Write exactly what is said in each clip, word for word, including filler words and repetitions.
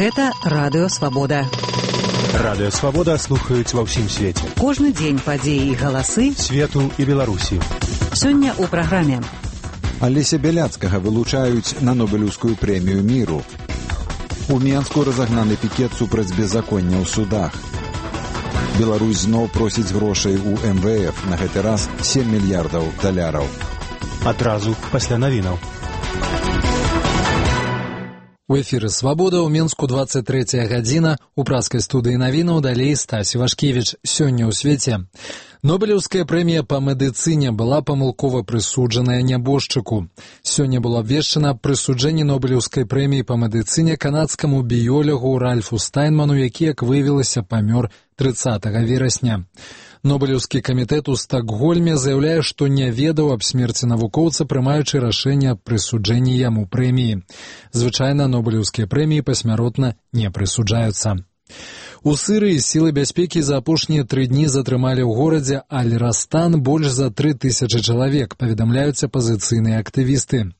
Гэта Радыё Свабода. Радыё Свабода слухаюць ва ўсім свеце. Кожны дзень падзеі і галасы свету і Беларусі. Сёння ў праграме. Алеся Бяляцкага вылучаюць на Нобелеўскую прэмію міру. У Менску разагнаны пікет супраць беззаконня ў судах. Беларусь зноў просіць грошай у эм вэ эф, на гэты раз сем мільярдаў даляраў. Адразу пасля навінаў. У эфіры «Свабода» ў Менску двадцать третья гадзіна. У праскай студыі навінаў далей Стась Івашкевіч. Сёння ў свеце. Нобелеўская прэмія па медыцыне была памылкова прысуджаная нябожчыку. Сёння было абвешчана прысуджэнне Нобелеўскай прэміі па медыцыне канадскаму біёлягу Ральфу Стайнману, які, як выявілася, памёр трыццатага верасня. Нобелеўскі камітэт у Стакгольме заяўляе, што не ведаў аб смерці навукоўца, прымаючы рашэнне аб прысуджэнні яму прэміі. Звычайна нобелеўскія прэміі пасмяротна не прысуджаюцца. У Сірыі сілы бяспекі за апошнія тры дні затрымалі ў горадзе Аль-Растан больш за тры тысячы чалавек, паведамляюць апазіцыйныя актывісты.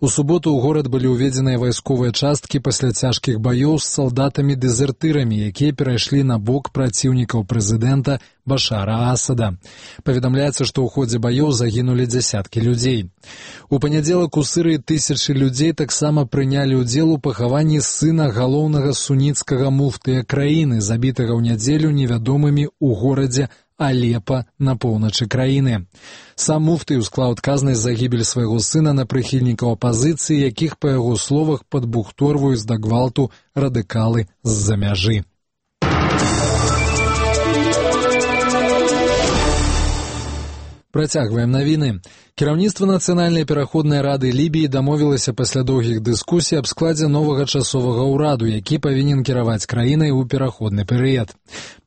У суботу ў горад былі ўведзеныя вайсковыя часткі пасля цяжкіх баёў з салдатамі-дэзертырамі, якія перайшлі на бок праціўнікаў прэзідэнта Башара Асада. Паведамляецца, што ў ходзе баёў загінулі дзясяткі людзей. У панядзелак у Сірыі тысячы людзей таксама прынялі ўдзел у пахаванні сына галоўнага суніцкага муфтыя краіны, забітага ў нядзелю невядомымі ў горадзе Алепа на поўначы краіны. Сам муфты ўсклаў адказнасць за гібель свайго сына на прыхільнікаў апазіцыі, якіх, па яго словах, падбухторваюць да гвалту радыкалы з-за мяжы. Працягваем навіны. Кіраўніцтва Нацыянальнай пераходнай рады Лібіі дамовілася пасля доўгіх дыскусій аб складзе новага часовага ўраду, які павінен кіраваць краінай у пераходны перыяд.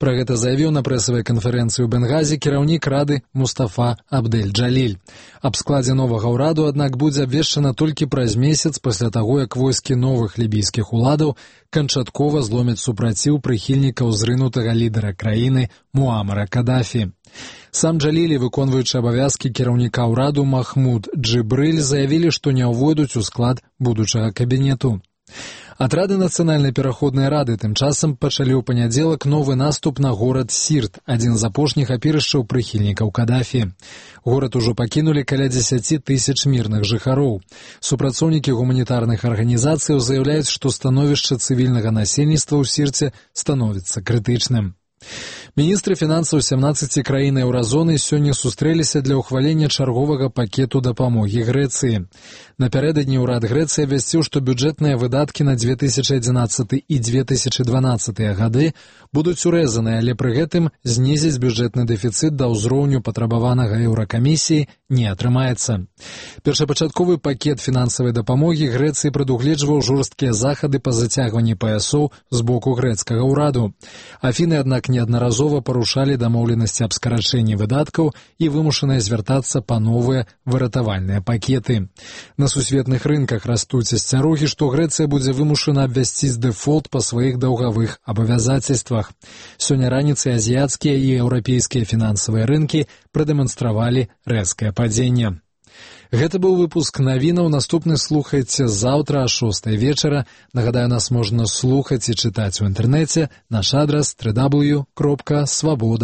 Пра гэта заявіў на прэсавай канферэнцыі ў Бенгазе кіраўнік рады Мустафа Абдель-Джаліль. Аб складзе новага ўраду, аднак, будзе абвешчана толькі праз месяц пасля таго, як войскі новых лібійскіх уладаў канчаткова зломяць супраціў прыхільнікаў зрынутага лідара краіны Муамара Кадафі. Сам Джалілі, выконваючы абавязкі кіраўніка ўраду Махмуд Джибрыль, заявілі, што не ўвойдуць у склад будучага кабінету. Атрады Нацыянальнай пераходнай рады тым часам пачалі ў панядзелак новы наступ на горад Сірт, адзін з апошніх апірышчаў прыхільнікаў Кадафі. Горад ужо пакінулі каля дзесяці тысяч мірных жыхароў. Супрацоўнікі гуманітарных арганізацыяў заяўляюць, што становішча цывільнага насельніцтва ў Сірце становіцца крытычным. Міністры фінансаў сямнаццаці краін еўразоны сёння сустрэліся для ўхвалення чарговага пакету дапамогі Грэцыі. Напярэдадні ўрад Грэцыі абвясціў, што бюджэтныя выдаткі на две тысячы адзінаццаты і две тысячы дванаццатыя гады будуць урэзаныя, але пры гэтым знізіць бюджэтны дэфіцыт да ўзроўню патрабаванага еўракамісіі не атрымаецца. Першапачатковы пакет фінансавай дапамогі Грэцыі прадугледжваў жорсткія захады па зацягванні паясоў з боку грэцкага ўраду. Афіны, аднак, неаднаразова парушалі дамоўленасці аб скарачэнні выдаткаў і вымушаныя звяртацца па новыя выратавальныя пакеты. На сусветных рынках растуць асцярогі, што Грэцыя будзе вымушана абвясціць дэфолт па сваіх даўгавых абавязацельствах. Сёння раніцай азіяцкія і еўрапейскія фінансавыя рынкі прадэманстравалі рэзкае падзенне. Гэта быў выпуск навінаў. Наступны слухайце заўтра о шостай вечара. Нагадаю, нас можна слухаць і чытаць у інтэрнэце. Наш адрас дабл ю дабл ю дабл ю кропка свабода.